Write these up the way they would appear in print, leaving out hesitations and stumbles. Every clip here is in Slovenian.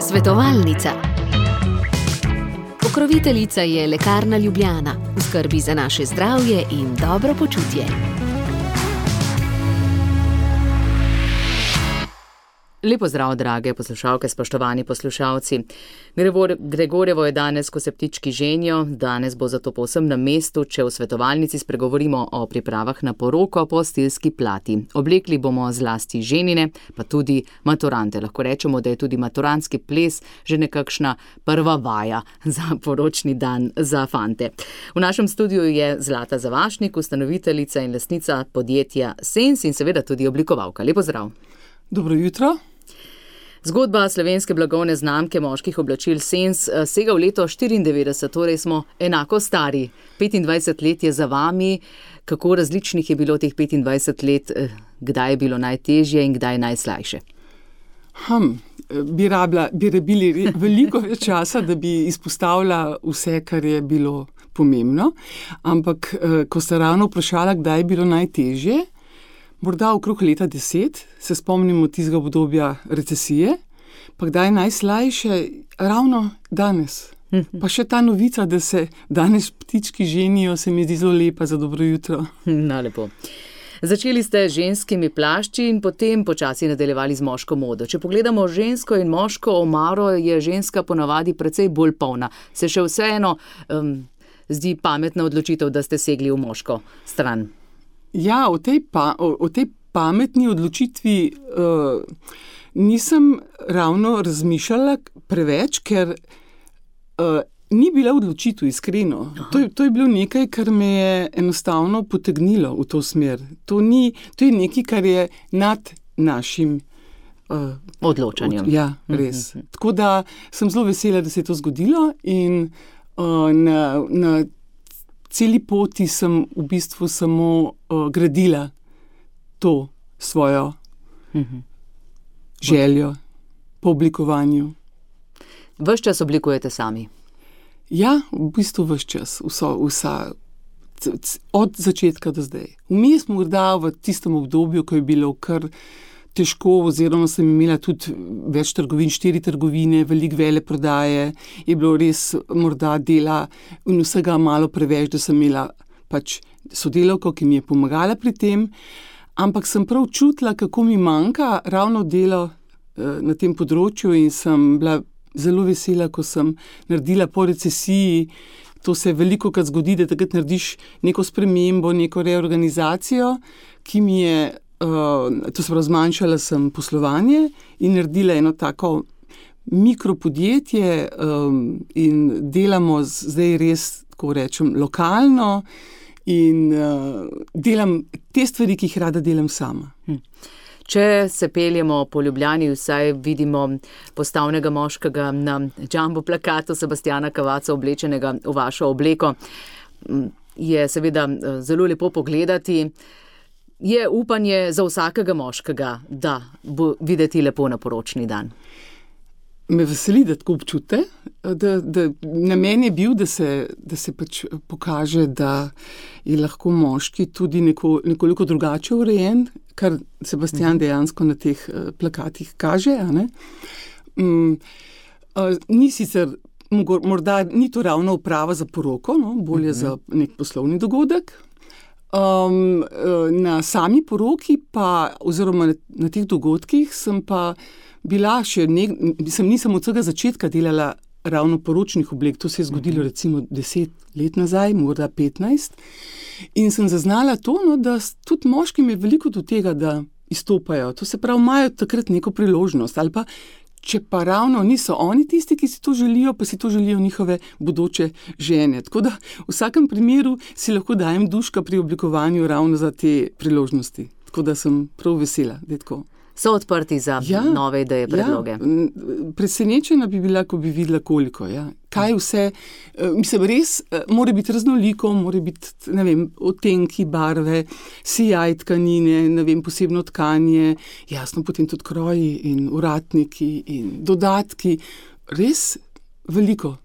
Svetovalnica. Pokroviteljica je Lekarna Ljubljana, v skrbi za naše zdravje in dobro počutje. Lepo zdrav, drage poslušalke, spoštovani poslušalci. Gregorjevo je danes, ko se ptički ženijo, danes bo zato povsem na mestu, če v svetovalnici spregovorimo o pripravah na poroko po stilski plati. Oblekli bomo zlasti ženine, pa tudi maturante. Lahko rečemo, da je tudi maturantski ples že nekakšna prva vaja za poročni dan za fante. V našem studiu je Zlata Zavašnik, ustanoviteljica in lastnica podjetja Sens in seveda tudi oblikovalka. Lepo zdrav. Dobro jutro. Zgodba slovenske blagovne znamke moških oblačil Sens sega v leto 1994, torej smo enako stari. 25 let je za vami. Kako različnih je bilo teh 25 let? Kdaj je bilo najtežje in kdaj najslajše? Bi rabili veliko več časa, da bi izpostavila vse, kar je bilo pomembno. Ampak, ko ste ravno vprašala, kdaj je bilo najtežje, morda okrog leta 10, se spomnimo tistega obdobja recesije, pa kdaj je najslajše, ravno danes. Pa še ta novica, da se danes ptički ženijo, se mi zdi zelo lepa za dobro jutro. Lepo. Začeli ste z ženskimi plašči in potem počasi nadaljevali z moško modo. Če pogledamo žensko in moško omaro, je ženska ponavadi precej bolj polna. Se še vseeno zdi pametna odločitev, da ste segli v moško stran? Ja, o tej pametni odločitvi nisem ravno razmišljala preveč, ker ni bila odločitev, iskreno. To je bilo nekaj, kar me je enostavno potegnilo v to smer. To je nekaj, kar je nad našim odločanjem. Ja, res. Tako da sem zelo vesela, da se je to zgodilo in na celi poti sem v bistvu samo gradila to svojo željo po oblikovanju. Ves čas oblikujete sami? Ja, v bistvu ves čas. Od začetka do zdaj. Vmes morda v tistem obdobju, ko je bilo kar težko, oziroma sem imela tudi več trgovin, 4 trgovine, veliko veleprodaje, je bilo res morda dela in vsega malo preveč, da sem imela pač sodelavko, ki mi je pomagala pri tem, ampak sem prav čutila, kako mi manjka ravno delo na tem področju in sem bila zelo vesela, ko sem naredila po recesiji. To se velikokrat zgodi, da takrat narediš neko spremembo, neko reorganizacijo, ki mi je to se pravi, zmanjšala sem poslovanje in naredila eno tako mikropodjetje in delamo zdaj res, tako rečem, lokalno in delam te stvari, ki jih rada delam sama. Če se peljemo po Ljubljani, vsaj vidimo postavnega moškega na jumbo plakatu Sebastiana Cavazza oblečenega v vašo obleko. Je seveda zelo lepo pogledati. Je upanje za vsakega moškega, da bo videti lepo na poročni dan? Me veseli, da tako občute. Namen je bil, da se pač pokaže, da je lahko moški tudi nekoliko drugače urejen, kar Sebastian dejansko na teh plakatih kaže. Ni sicer, morda ni to ravno oprava za poroko, bolje za nek poslovni dogodek. Na sami poroki pa, oziroma na teh dogodkih sem pa bila nisem od vsega začetka delala ravno poročnih oblek. To se je zgodilo recimo 10 let nazaj, morda 15. In sem zaznala to, da tudi moškim je veliko do tega, da izstopajo. To se pravi, imajo takrat neko priložnost ali pa če pa ravno niso oni tisti, ki si to želijo, pa si to želijo njihove bodoče žene. Tako da v vsakem primeru si lahko dajem duška pri oblikovanju ravno za te priložnosti. Tako da sem prav vesela, da je tako. So odprti za nove ideje, predloge? Presenečena bi bila, ko bi videla koliko. Kaj vse, mislim, res mora biti raznoliko, mora biti, odtenki, barve, sijaj tkanine, posebno tkanje, jasno potem tudi kroji in uratniki in dodatki. Res veliko.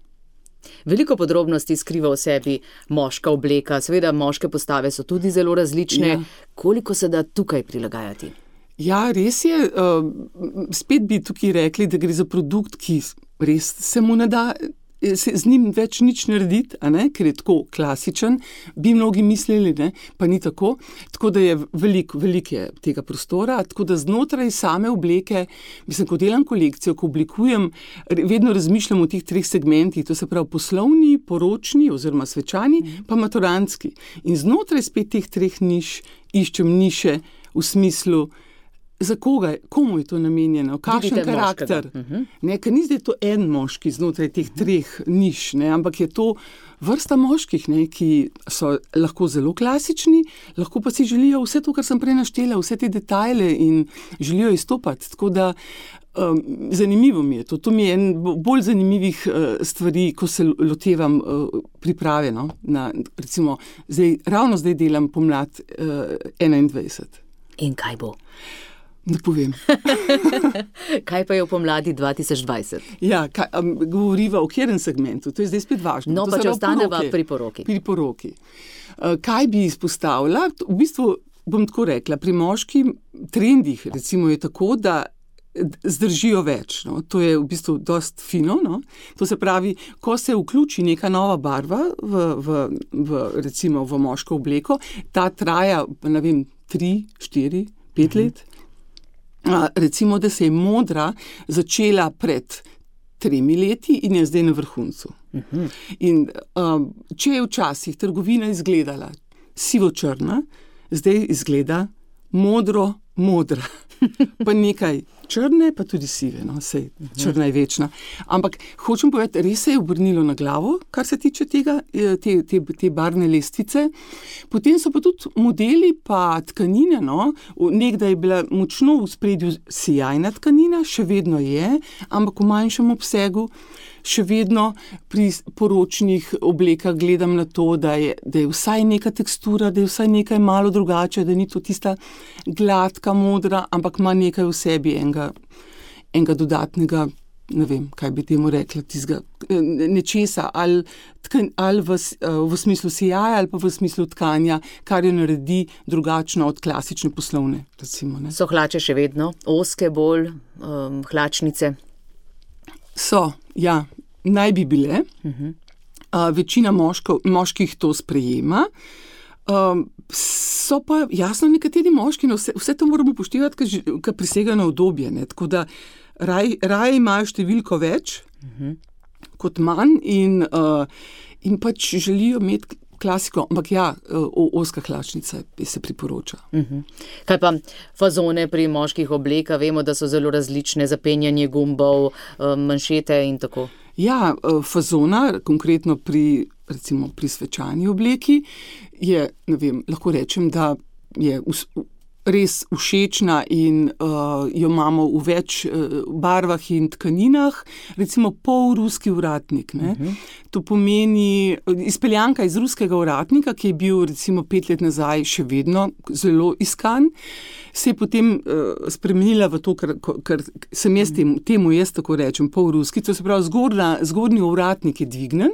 Veliko podrobnosti skriva v sebi moška obleka. Seveda moške postave so tudi zelo različne. Koliko se da tukaj prilagajati? Ja, res je. Spet bi tukaj rekli, da gre za produkt, ki res se mu ne da z njim več nič narediti, ker je tako klasičen, bi mnogi mislili, pa ni tako. Tako da je veliko je tega prostora, tako da znotraj same obleke, mislim, ko delam kolekcijo, ko oblikujem, vedno razmišljam o teh 3 segmentih, to se pravi poslovni, poročni oziroma svečani, pa maturantski. In znotraj spet teh 3 niš iščem niše v smislu, za koga, komu je to namenjeno, kakšen karakter. Ker ni zdaj to en moški znotraj teh 3 niš, ampak je to vrsta moških, ki so lahko zelo klasični, lahko pa si želijo vse to, kar sem prej naštela, vse te detajle in želijo izstopati. Tako da zanimivo mi je to. To mi je en bolj zanimivih stvari, ko se lotevam priprave. Recimo, ravno zdaj delam pomlad 21. In kaj bo? Ne povem. Kaj pa je v pomladi 2020? Ja, govoriva o katerem segmentu, to je zdaj spet važno. No, pa če ostaneva pri poroki. Pri poroki. Kaj bi izpostavila? V bistvu bom tako rekla, pri moških trendih recimo je tako, da zdržijo več. To je v bistvu dost fino. To se pravi, ko se vključi neka nova barva recimo v moško obleko, ta traja, 3, 4, 5 let. Recimo, da se je modra začela pred 3 leti in je zdaj na vrhuncu. In če je včasih trgovina izgledala sivo-črna, zdaj izgleda modra. Pa nekaj črne, pa tudi sive, sej črna je večna. Ampak hočem povedati, res se je obrnilo na glavo, kar se tiče tega, te barvne lestvice. Potem so pa tudi modeli pa tkanine, nekdaj je bila močno v spredju sijajna tkanina, še vedno je, ampak v manjšem obsegu. Še vedno pri poročnih oblekah gledam na to, da je vsaj neka tekstura, da je vsaj nekaj malo drugače, da ni to tista gladka, modra, ampak ima nekaj v sebi enega dodatnega, ne vem, kaj bi temu rekla, tistega nečesa, ali v smislu sijaja, ali pa v smislu tkanja, kar jo naredi drugačno od klasične poslovne, recimo. So hlače še vedno ozke bolj, hlačnice? So, ja, naj bi bile. Večina moških to sprejema. So pa jasno nekateri moški, vse to moramo upoštevati, ker presega na udobje. Tako da raje imajo številko več kot manj in pač želijo imeti klasiko, ampak ja, ozka hlačnica se priporoča. Kaj pa fazone pri moških oblekah? Vemo, da so zelo različne, zapenjanje gumbov, manšete in tako. Ja, fazona, konkretno recimo pri svečani obleki, je, ne vem, lahko rečem, da je res všečna in jo imamo v več barvah in tkaninah, recimo polruski ovratnik. To pomeni izpeljanka iz ruskega ovratnika, ki je bil recimo 5 let nazaj še vedno zelo iskan, se je potem spremenila v to, kar sem jaz temu tako rečem, polruski, to se pravi zgornji ovratnik je dvignen,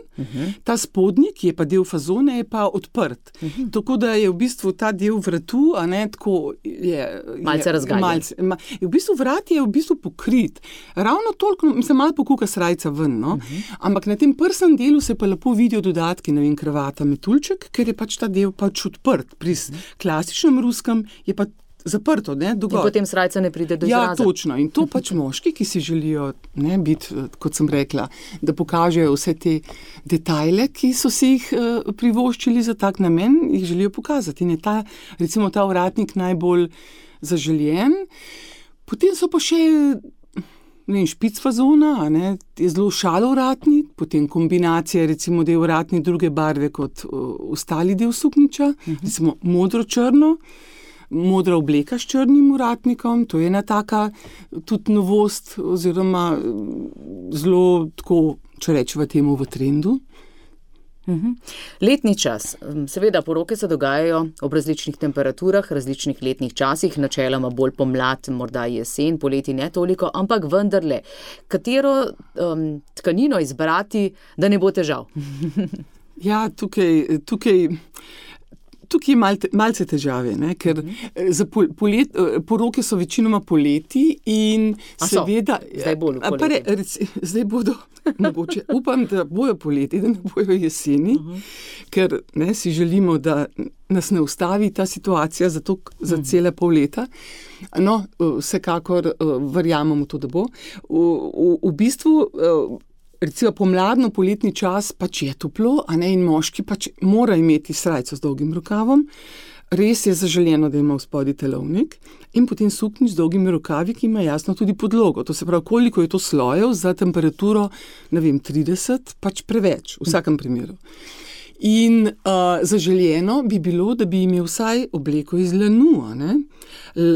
ta spodnji, ki je pa del fazone, je pa odprt. Tako da je v bistvu ta del vratu, tako je malce razgaljen. V bistvu vrat je v bistvu pokrit. Ravno toliko, malo pokuka srajca ven, ampak na tem prsnem delu se pa lepo vidijo dodatki, ne vem, kravata, metuljček, ker je pač ta del pač odprt. Pri klasičnem ruskem je pa zaprto, dogor. In potem srajca ne pride do izraza. Ja, točno. In to pač moški, ki si želijo biti, kot sem rekla, da pokažejo vse te detajle, ki so si jih privoščili za tak namen, jih želijo pokazati. In je recimo ta ovratnik najbolj zaželjen. Potem so pa še špic fazona, je zelo šalo ovratnik, potem kombinacija, recimo, da je ovratnik druge barve kot ostali del suknjiča, recimo modro-črno, modra obleka s črnim ovratnikom, to je ena taka tudi novost oziroma zelo tako, če rečeva temu, v trendu. Letni čas. Seveda, poroke se dogajajo ob različnih temperaturah, različnih letnih časih, načeloma bolj pomlad, morda jesen, poleti ne toliko, ampak vendarle, katero tkanino izbrati, da ne bo težav? Ja, tukaj tukaj je malce težave, ne? Ker za poroke so večinoma poleti in seveda... Zdaj bolj v poleti. Zdaj bodo, mogoče, upam, da bojo poleti, da ne bojo jeseni, ker si želimo, da nas ne ustavi ta situacija za cele pol leta. No, vsekakor verjamemo to, da bo. V bistvu... Recimo pomladno poletni čas pač je toplo, a ne, in moški pač mora imeti srajco z dolgim rokavom. Res je zaželeno, da ima v spodaj telovnik in potem suknjič z dolgimi rokavi, ki ima jasno tudi podlogo. To se pravi, koliko je to slojev za temperaturo, 30, pač preveč, v vsakem primeru. In zaželeno bi bilo, da bi imel vsaj obleko iz lanu, a ne?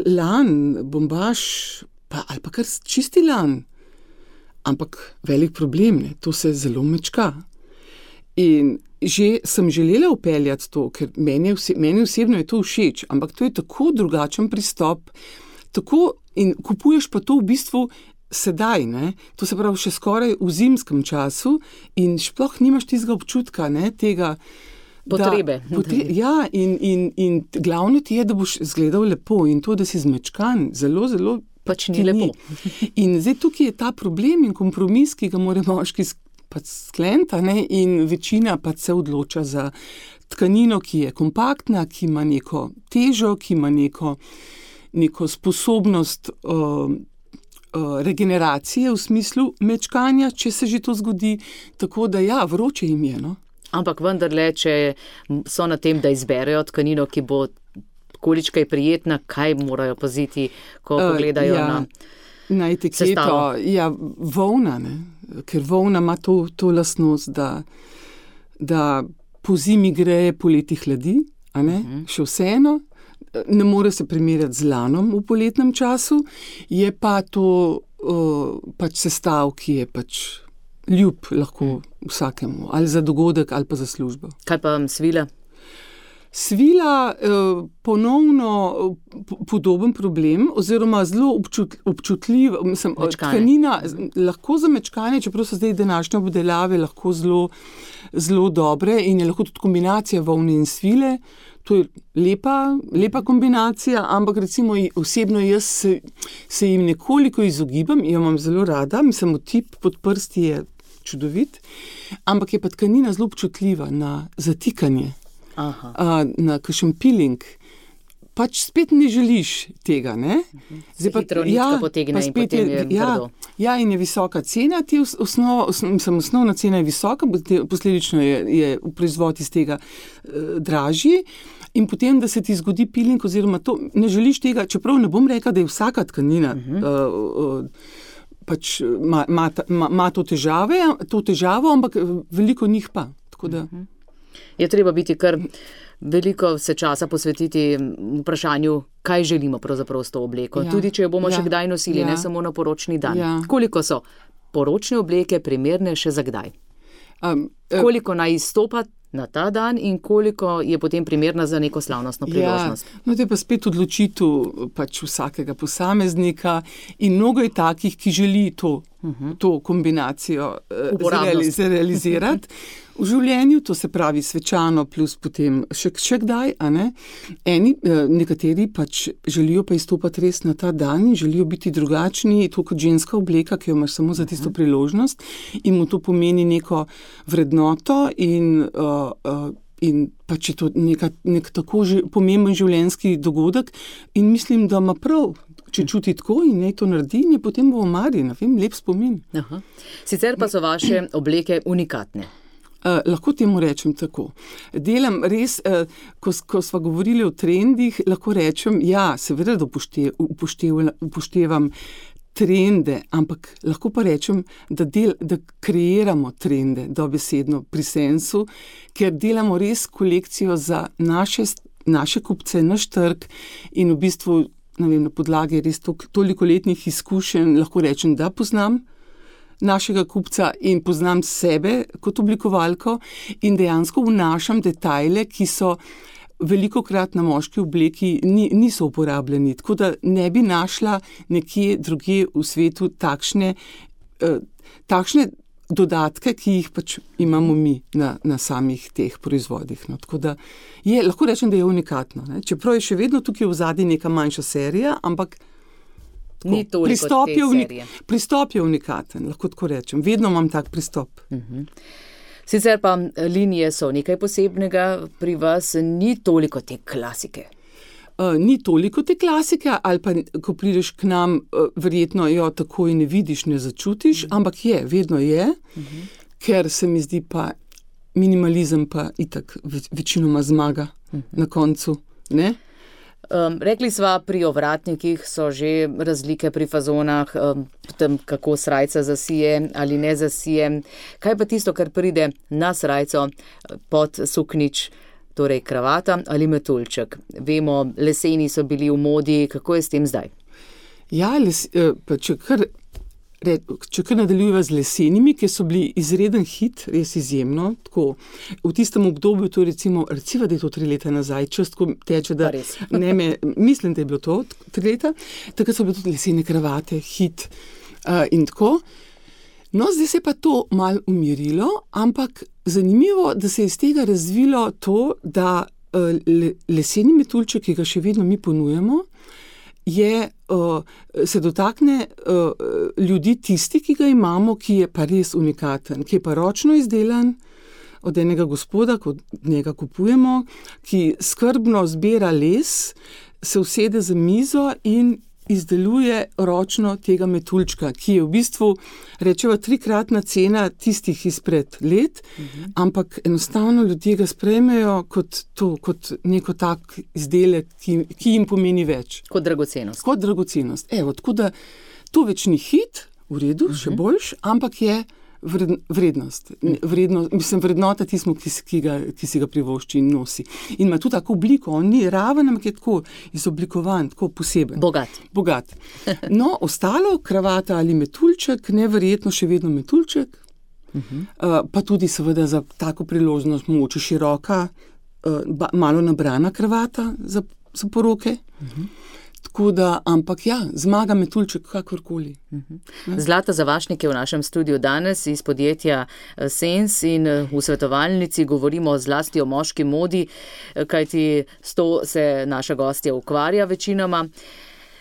Lan, bombaž, ali pa kar čisti lan. Ampak velik problem, ne? To se zelo mečka. In že sem želela upeljati to, ker meni osebno je to všeč, ampak to je tako drugačen pristop, in kupuješ pa to v bistvu sedaj, ne? To se pravi še skoraj v zimskem času in sploh nimaš tistega občutka, ne? Tega potrebe. Ja, in glavno ti je, da boš izgledal lepo in to, da si zmečkan, zelo, zelo pač ni lepo. In zdaj tukaj je ta problem in kompromis, ki ga mora moški pač skleniti, ne? In večina pač se odloča za tkanino, ki je kompaktna, ki ima neko težo, ki ima neko sposobnost regeneracije v smislu mečkanja, če se že to zgodi, tako da ja, vroče jim je, no. Ampak vendarle, če so na tem, da izberejo tkanino, ki bo količka je prijetna, kaj morajo paziti, ko pogledajo na etiketo. Sestavo. Ja, volna, ne? Ker volna ima to lastnost, da po zimi greje, poleti hladi, a ne? Še vseeno, ne more se primerjati z lanom v poletnem času, je pa to pač sestav, ki je pač ljub lahko vsakemu, ali za dogodek, ali pa za službo. Kaj pa svila? Svila ponovno podoben problem, oziroma zelo občutljiva, tkanina lahko za mečkanje, čeprav so zdaj današnje obdelave lahko zelo dobre in je lahko tudi kombinacija volne in svile. To je lepa kombinacija, ampak recimo osebno jaz se jim nekoliko izogibam, jo imam zelo rada, mislim, otip pod prsti je čudovit, ampak je pa tkanina zelo občutljiva na zatikanje. Na kakšen peeling, pač spet ne želiš tega, ne? Se hitro nitka potegne in potem je grdo. Ja, in je visoka cena, osnovna cena je visoka, posledično je proizvod iz tega dražji in potem, da se ti zgodi peeling oziroma to, ne želiš tega, čeprav ne bom rekla, da je vsaka tkanina pač ima to težavo, ampak veliko njih pa, tako da... Je treba biti kar veliko se časa posvetiti vprašanju, kaj želimo pravzaprav s to obleko. Ja. Tudi, če jo bomo še kdaj nosili, ne samo na poročni dan. Ja. Koliko so poročne obleke primerne še za kdaj? Koliko naj izstopa na ta dan in koliko je potem primerna za neko slavnostno priložnost? Ja, no to je pa spet odločitev pač vsakega posameznika in mnogo je takih, ki želi to kombinacijo realizirati v življenju, to se pravi svečano plus potem še kdaj, a ne? Nekateri pač želijo pa izstopati res na ta dan in želijo biti drugačni, to kot ženska obleka, ki jo imaš samo za tisto priložnost in mu to pomeni neko vrednoto in pač je to nek tako pomemben življenjski dogodek in mislim, da ima prav, če čuti tako in naj to naredi, in je potem v omari, lep spomin. Aha. Sicer pa so vaše obleke unikatne. Lahko temu rečem tako. Delam res, ko sva govorili o trendih, lahko rečem, ja, seveda, da upoštevam trende, ampak lahko pa rečem, da kreiramo trende dobesedno pri Sensu, ker delamo res kolekcijo za naše kupce, naš trg in v bistvu, na podlagi res toliko letnih izkušenj, lahko rečem, da poznam našega kupca in poznam sebe kot oblikovalko in dejansko vnašam detajle, ki so velikokrat na moški obleki niso uporabljeni, tako da ne bi našla nekje drugje v svetu takšne dodatke, ki jih pač imamo mi na samih teh proizvodih. No. Tako da lahko rečem, da je unikatno. Ne. Čeprav je še vedno tukaj v zadnji neka manjša serija, ampak ni toliko te serije. Pristop je unikaten, lahko tako rečem. Vedno imam tak pristop. Sicer pa linije so nekaj posebnega, pri vas ni toliko te klasike. Ni toliko te klasike, ali pa ko prideš k nam, verjetno jo takoj ne vidiš, ne začutiš, ampak vedno je, ker se mi zdi pa minimalizem pa itak večinoma zmaga na koncu, ne? Rekli sva, pri ovratnikih so že razlike pri fazonah, potem kako srajca zasije ali ne zasije. Kaj pa tisto, kar pride na srajco pod suknič, torej kravata ali metuljček? Vemo, leseni so bili v modi, kako je s tem zdaj? Ja, če kar nadaljujeva z lesenimi, ki so bili izreden hit, res izjemno, tako v tistem obdobju, to recimo, da je to 3 leta nazaj, čas tako teče, da mislim, da je bilo to 3 leta, takrat so bile tudi lesene kravate, hit in tako. No, zdaj se je pa to malo umirilo, ampak zanimivo, da se je iz tega razvilo to, da leseni metuljček, ki ga še vedno mi ponujamo, se dotakne ljudi tisti, ki ga imamo, ki je pa res unikaten, ki je pa ročno izdelan od enega gospoda, kot njega kupujemo, ki skrbno zbira les, se usede za mizo in izdeluje ročno tega metuljčka, ki je v bistvu, rečeva, 3-kratna cena tistih izpred let, ampak enostavno ljudje ga sprejmejo kot neko tak izdelek, ki jim pomeni več. Kot dragocenost. Kot dragocenost. Tako da to več ni hit, v redu, še boljš, ampak je vrednost. Mislim, vrednota tismo, ki si ga privošči in nosi. In ima tudi tako obliko, on ni raven, ampak je tako izoblikovan, tako poseben. Bogat. No, ostalo, kravata ali metuljček, neverjetno še vedno metuljček, pa tudi seveda za tako priložnost mogoče široka, malo nabrana kravata za poroke. Tako da, ampak zmaga metuljček kakorkoli. Zlata Zavašnik je v našem studiu danes iz podjetja Sens in v svetovalnici govorimo zlasti o moški modi, kajti s to se naša gostja ukvarja večinoma.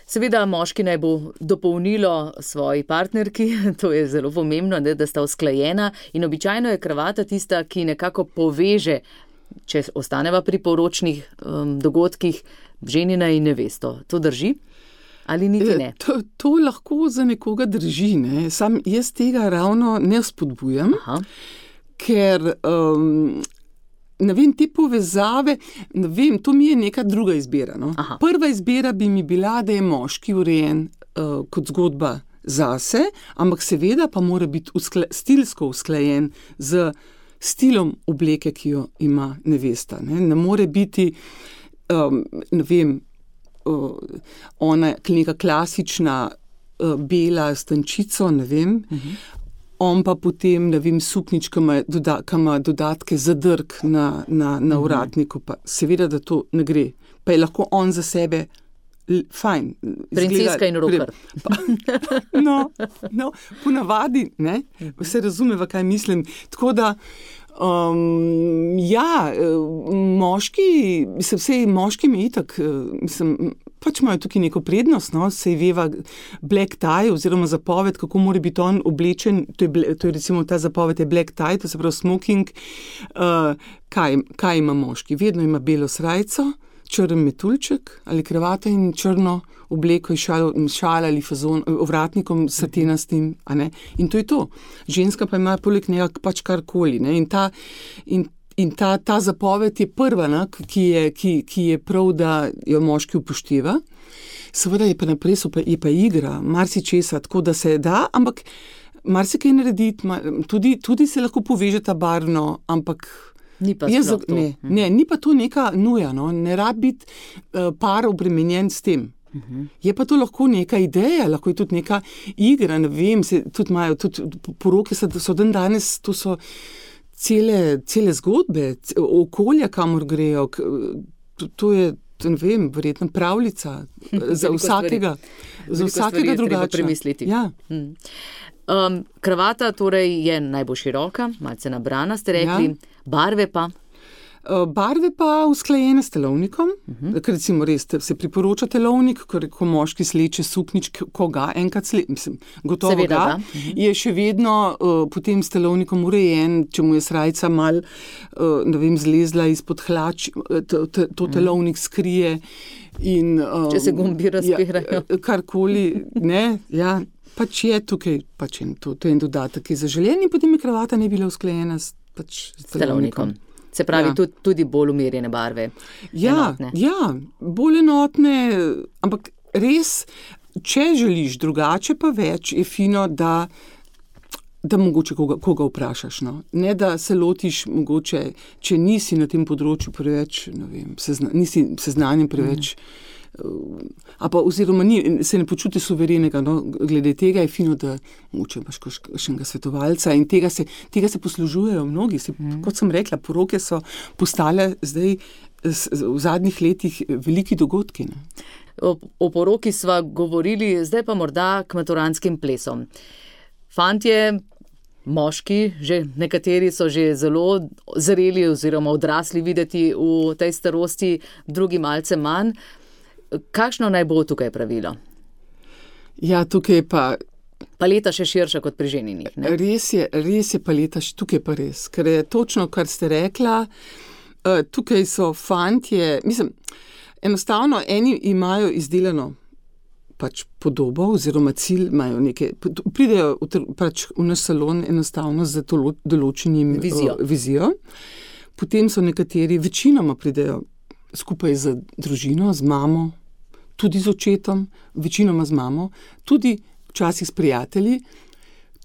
Seveda moški naj bo dopolnilo svoji partnerki, to je zelo pomembno, da sta usklajena in običajno je kravata tista, ki nekako poveže, če ostaneva pri poročnih dogodkih, ženina in nevesto. To drži? Ali niti ne? To lahko za nekoga drži, ne. Sam jaz tega ravno ne spodbujam, ker ne vem, te povezave, ne vem, to mi je neka druga izbira. No. Prva izbira bi mi bila, da je moški urejen kot zgodba zase, ampak seveda pa mora biti stilsko usklajen z stilom obleke, ki jo ima nevesta. Ne more biti ne vem, ona neka klasična bela stančico, ne vem, on pa potem, ne vem, suknič, ki ima dodatke zadrg na vratniku, pa seveda, da to ne gre. Pa je lahko on za sebe fajn. Princeska in roker. No, ponavadi, ne, se razumeva, kaj mislim. Tako da, moški mi itak, pač imajo tukaj neko prednost, no, sej veva black tie oziroma zapoved, kako mora biti on oblečen, to je recimo ta zapoved je black tie, to se pravi smoking, kaj ima moški? Vedno ima belo srajco, črn metuljček ali kravata in črno obleko in šal ali fazon, ovratnikom satenastim, a ne? In to je to. Ženska pa ima poleg njega pač karkoli, ne? In ta zapoved je prva, ne? Ki je prav, da jo moški upošteva. Seveda je pa naprej, je pa igra, marsičesa, tako da se da, ampak marsikaj narediti, tudi se lahko povežeta barvno, ampak ni pa sploh to. Ni pa to neka nuja, no? Ne rad biti par obremenjen s tem. Je pa to lahko neka ideja, lahko je tudi neka igra, ne vem, tudi poroke so dan danes, to so cele zgodbe, okolja, kamor grejo, to ne vem, verjetno pravljica za vsakega drugače. Premisliti. Ja. Kravata torej je najbolj široka, malce nabrana, ste rekli, barve pa? Barve pa usklajene s telovnikom, ker recimo res se priporoča telovnik, ko moški sleče suknič, ko ga enkrat gotovo seveda, ga, je še vedno potem s telovnikom urejen, če mu je srajca mal, zlezla izpod hlač, to telovnik skrije. In, če se gumbi razpirajo. Karkoli, ne, ja. Pač je tukaj, to je en dodatek, ki je zaželen in potem je kravata ne bila usklajena s telovnikom. Se pravi, tudi bolj umirjene barve. Enotne. Ja, bolj enotne, ampak res, če želiš drugače pa več, je fino, da mogoče koga vprašaš. No? Ne, da se lotiš mogoče, če nisi na tem področju preveč, nisi seznanjen preveč, oziroma se ne počuti suverenega, no, glede tega je fino, da mogoče imaš kakšnega svetovalca in tega se poslužujejo mnogi. Kot sem rekla, poroke so postale zdaj v zadnjih letih veliki dogodki. Ne. O poroki sva govorili, zdaj pa morda k maturantskim plesom. Fantje, moški, že nekateri so že zelo zreli oziroma odrasli videti v tej starosti, drugi malce manj. Kakšno naj bo tukaj pravilo? Ja, tukaj pa... Paleta še širša kot pri ženjenih, ne? Res je paleta, tukaj pa res, ker je točno, kar ste rekla, tukaj so fantje, enostavno eni imajo izdelano pač podobo oziroma cilj, imajo nekaj, pridejo pač v naš salon enostavno z določenim vizijo. Potem so nekateri, večinoma pridejo skupaj z družino, z mamo, tudi z očetom, večinoma z mamo, tudi včasih s prijatelji,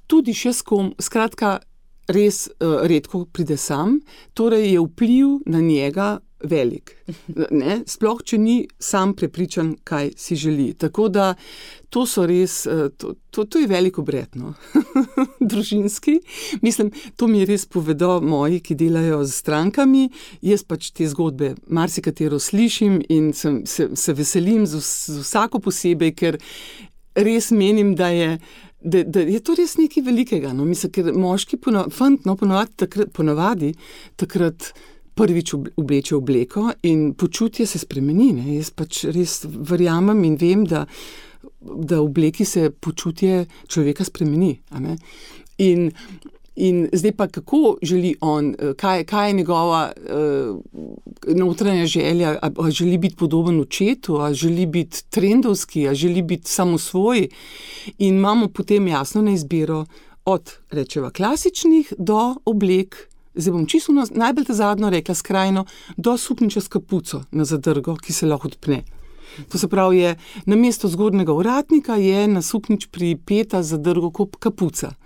tudi še s kom, skratka, res redko pride sam, torej je vpliv na njega velik. Ne? Sploh, če ni sam prepričan, kaj si želi. Tako da to so res, to je velik obred, no? Družinski. To mi res povedo moji, ki delajo z strankami. Jaz pač te zgodbe marsikatero slišim in se veselim z vsako posebej, ker res menim, da je to res nekaj velikega. No? Ker moški ponavadi takrat prvič obleče obleko in počutje se spremeni. Ne? Jaz pač res verjamem in vem, da v obleki se počutje človeka spremeni. A ne? In zdaj pa kako želi on, kaj je njegova notranja želja, a želi biti podoben očetu, a želi biti trendovski, a želi biti samosvoj. In imamo potem jasno na izbiro od, rečeva, klasičnih do oblek, zdaj bom čisto najbolj zadnjo rekla skrajno, do sukniča s kapuco na zadrgo, ki se lahko odpne. To se pravi, je namesto zgornjega ovratnika je na suknič pripeta zadrgo kapuca.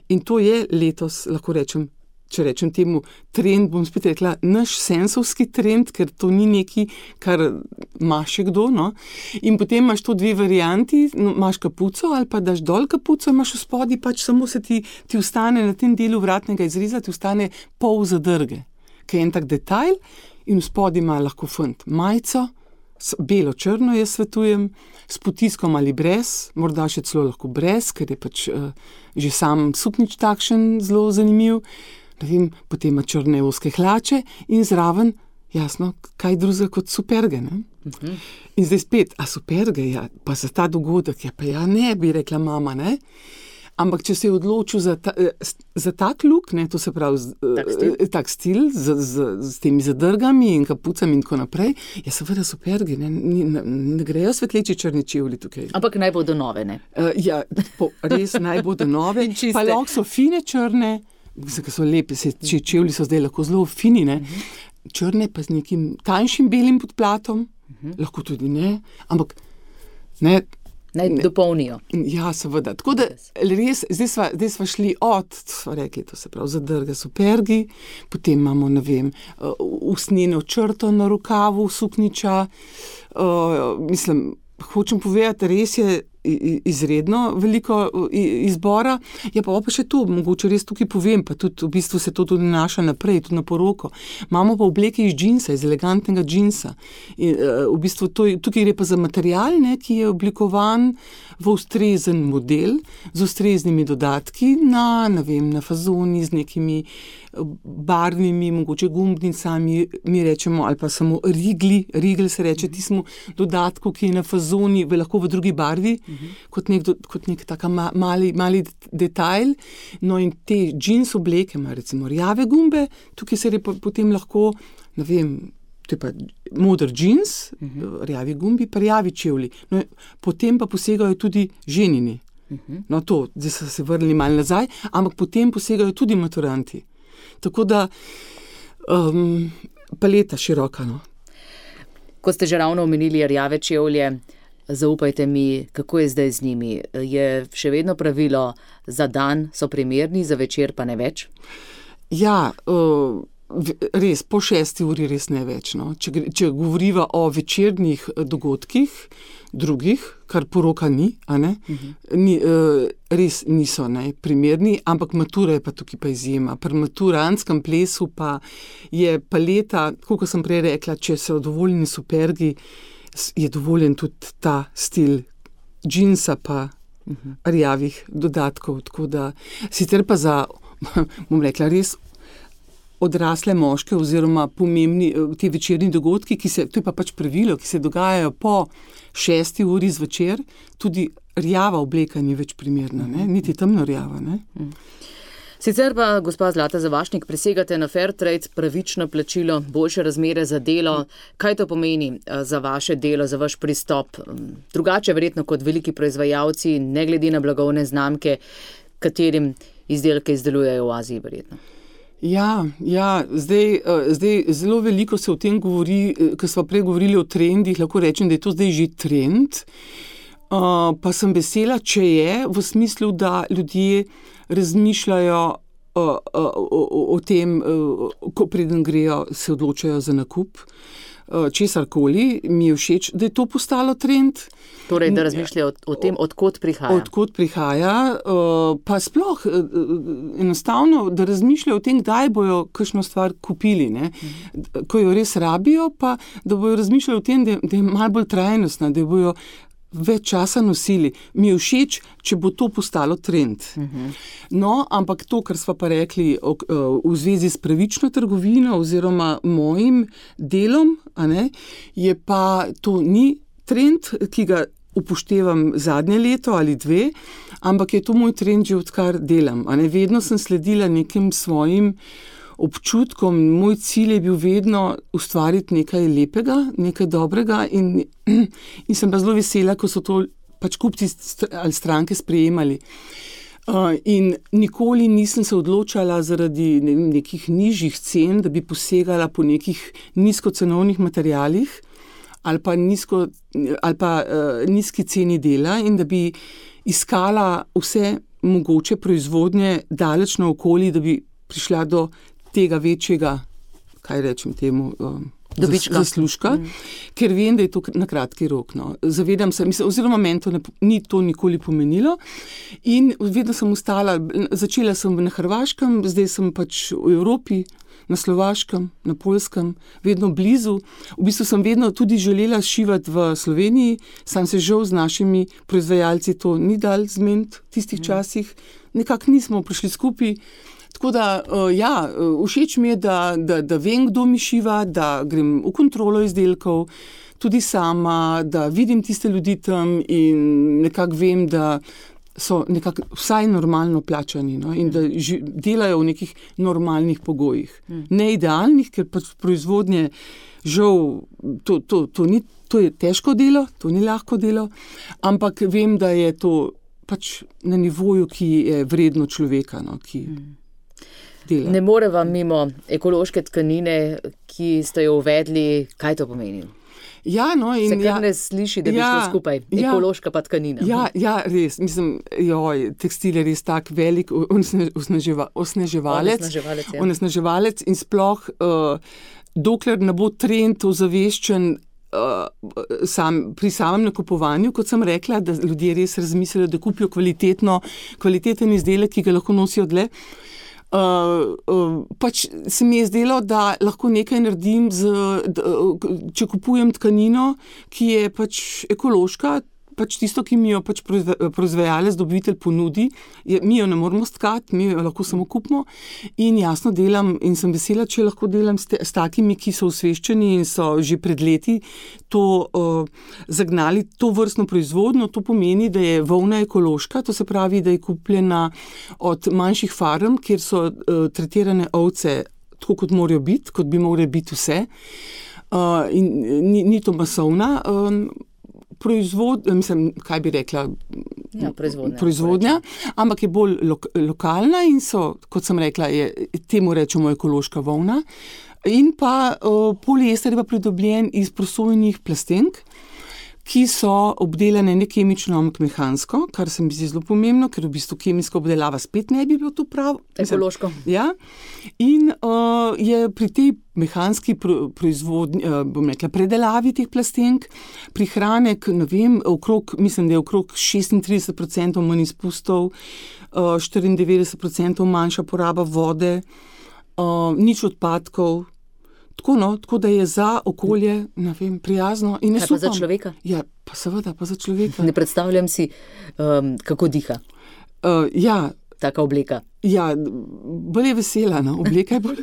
In to je letos, lahko rečem, če rečem temu trend, bom spet rekla, naš sensovski trend, ker to ni nekaj, kar ima še kdo. No? In potem imaš to dve varianti, imaš kapuco ali pa daš dol kapuco, imaš v spodnji, pač samo se ti ostane na tem delu vratnega izreza, ti ostane pol zadrge, ki je en tak detajl in v spodnji ima lahko fant majico, belo-črno jaz svetujem, s potiskom ali brez, morda še celo lahko brez, ker je pač že sam suknič takšen zelo zanimiv. Potem ima črne ozke hlače in zraven, jasno, kaj drugega kot superge. Ne? In zdaj spet, a superge, ja, pa za ta dogodek, ja, pa ja, ne, bi rekla mama, ne? Ampak če se je odločil za tak look, ne, to se pravi tak stil z temi zadrgami in kapucami in tako naprej, ja, seveda superge, ne grejo svetleči črni čevlji tukaj. Ampak naj bodo nove, ne? Ja, res naj bodo nove, pa lahko so fine črne, ki so lepe, čevlji so zdaj lahko zelo fini, ne? Črne pa z nekim tanjšim belim podplatom, lahko tudi ne, ampak ne. Naj dopolnijo. Ja, seveda. Tako da res, zdaj sva šli sva rekli, to se pravi, zadrga supergi, potem imamo, ne vem, usnjeno črto na rokavu sukniča. Hočem povedati, res je izredno veliko izbora. Ja, pa še to, mogoče res tukaj povem, pa tudi v bistvu se to tudi nanaša naprej, tudi na poroko. Imamo pa obleke iz džinsa, iz elegantnega džinsa. V bistvu tukaj gre pa za material, ne, ki je oblikovan v ustrezen model, z ustreznimi dodatki na fazoni, z nekimi barvnimi, mogoče gumbnicami, mi rečemo, ali pa samo rigel se reče tistemu dodatku, ki je na fazoni, lahko v drugi barvi, kot nek taka mali detajl. No in te džins obleke ima recimo rjave gumbe, tukaj se je potem lahko, to je pa moder džins, rjavi gumbi, pa rjavi čevlji. No, potem pa posegajo tudi ženini. No to, zdaj so se vrnili malo nazaj, ampak potem posegajo tudi maturanti. Tako da paleta široka. No. Ko ste že ravno omenili rjave čevlje, zaupajte mi, kako je zdaj z njimi? Je še vedno pravilo, za dan so primerni, za večer pa ne več? Ja, res, po 6 uri res ne več. No. Če govoriva o večernih dogodkih, drugih, kar poroka ni, a ne? Res niso primerni, ampak matura je pa tukaj pa izjema. Pri maturantskem plesu pa je paleta, kot sem prej rekla, če so dovoljeni supergi, je dovoljen tudi ta stil džinsa pa rjavih dodatkov. Tako da, sicer pa za, bom rekla, res odrasle moške oziroma pomembni ti večerni dogodki, to je pa pač pravilo, ki se dogajajo po 6 uri zvečer, tudi rjava obleka ni več primerna, niti temno rjava. Sicer pa, gospa Zlata Zavašnik, presegate na fair trade, pravično plačilo, boljše razmere za delo. Kaj to pomeni za vaše delo, za vaš pristop? Drugače verjetno kot veliki proizvajalci, ne glede na blagovne znamke, katerim izdelke izdelujejo v Aziji verjetno. Ja, zdaj zelo veliko se o tem govori, ko smo prej govorili o trendih, lahko rečem, da je to zdaj že trend, pa sem vesela, če je, v smislu, da ljudje razmišljajo o tem, ko preden grejo, se odločajo za nakup česarkoli, mi je všeč, da je to postalo trend. Torej, da razmišljajo o tem, odkot prihaja. Odkot prihaja, pa sploh enostavno, da razmišljajo o tem, kdaj bojo kakšno stvar kupili, ko jo res rabijo, pa da bojo razmišljali o tem, da je malo bolj trajnostna, da bojo več časa nosili. Mi je všeč, če bo to postalo trend. No, ampak to, kar sva pa rekli v zvezi s pravično trgovino oziroma mojim delom, je pa to ni trend, ki ga upoštevam zadnje leto ali 2, ampak je to moj trend že odkar delam. Vedno sem sledila nekim svojim občutkom, moj cilj je bil vedno ustvariti nekaj lepega, nekaj dobrega in sem pa zelo vesela, ko so to pač kupci ali stranke sprejemali. In nikoli nisem se odločala zaradi nekih nižjih cen, da bi posegala po nekih nizkocenovnih materialih ali pa nizki ceni dela in da bi iskala vse mogoče proizvodnje daleč naokoli, da bi prišla do tega večjega, kaj rečem temu, zaslužka, ker vem, da je to na kratki rok. No. Zavedam se, oziroma meni to ni to nikoli pomenilo in vedno sem ostala, začela sem na Hrvaškem, zdaj sem pač v Evropi, na Slovaškem, na Poljskem, vedno blizu. V bistvu sem vedno tudi želela šivati v Sloveniji, sam se žal z našimi proizvajalci to ni dal zmeniti v tistih časih, nekako nismo prišli skupaj. Tako da, všeč mi je, da vem, kdo mi šiva, da grem v kontrolo izdelkov, tudi sama, da vidim tiste ljudi tam in nekako vem, da so nekako vsaj normalno plačani, no, in da delajo v nekih normalnih pogojih. Ne idealnih, ker pač proizvodnje žal, to je težko delo, to ni lahko delo, ampak vem, da je to pač na nivoju, ki je vredno človeka, no, ki dela. Ne more vam mimo ekološke tkanine, ki ste jo uvedli, kaj to pomeni? Ja, no, in se kar ne sliši, da bi šlo skupaj, ekološka pa tkanina. Ja, res, mislim, tekstil je res tak velik onesnaževalec in sploh, dokler ne bo trend ozaveščen, pri samem nakupovanju, kot sem rekla, da ljudje res razmislijo, da kupijo kvaliteten izdelek, ki ga lahko nosijo dlje. Pač se mi je zdelo, da lahko nekaj naredim, če kupujem tkanino, ki je pač ekološka, pač tisto, ki mi jo pač proizvajalec, dobavitelj ponudi, mi jo ne moramo stkati, mi jo lahko samo kupimo in jasno delam in sem vesela, če lahko delam s takimi, ki so osveščeni in so že pred leti to zagnali, to vrstno proizvodnjo. To pomeni, da je volna ekološka, to se pravi, da je kupljena od manjših farm, kjer so tretirane ovce tako, kot morajo biti, kot bi morali biti vse. In ni to masovna kaj bi rekla, proizvodnja, ampak je bolj lokalna in so, kot sem rekla, temu rečemo ekološka volna. In pa poliester je pa pridobljen iz prosojenih plastenk, ki so obdelane ne kemično, ampak mehansko, kar se mi zdi zelo pomembno, ker v bistvu kemijska obdelava spet ne bi bilo to prav. Ekološko. Ja. In je pri tej mehanski proizvodnji, bom rekla, predelavi teh plastenk, prihranek, ne vem, mislim, da je okrog 36% manj izpustov, 94% manjša poraba vode, nič odpadkov. Tako da je za okolje, ne vem, prijazno. In kaj pa za človeka? Ja, pa seveda, pa za človeka. Ne predstavljam si, kako diha. Ja. Taka obleka. Ja, bolj je vesela, no, obleka je bolj.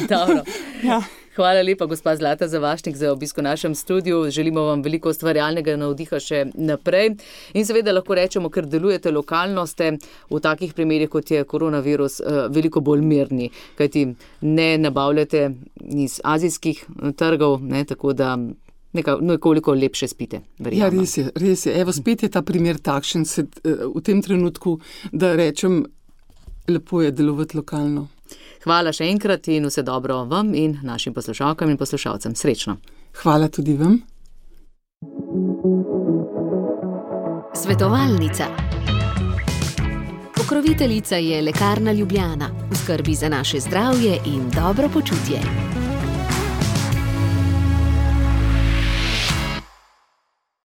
Dobro. Ja. Hvala lepa, gospa Zlata Zavašnik, za obisk v našem studiu. Želimo vam veliko ustvarjalnega navdiha še naprej. In seveda lahko rečemo, ker delujete lokalno, ste v takih primerih, kot je koronavirus, veliko bolj mirni, kajti ne nabavljate iz azijskih trgov, ne, tako da nekoliko lepše spite. Verjamem. Ja, res je. Evo, spet je ta primer takšen v tem trenutku, da rečem, lepo je delovati lokalno. Hvala še enkrat in vse dobro vam in našim poslušalkam in poslušalcem. Srečno. Hvala tudi vam. Svetovalnica. Pokroviteljica je Lekarna Ljubljana. V skrbi za naše zdravje in dobro počutje.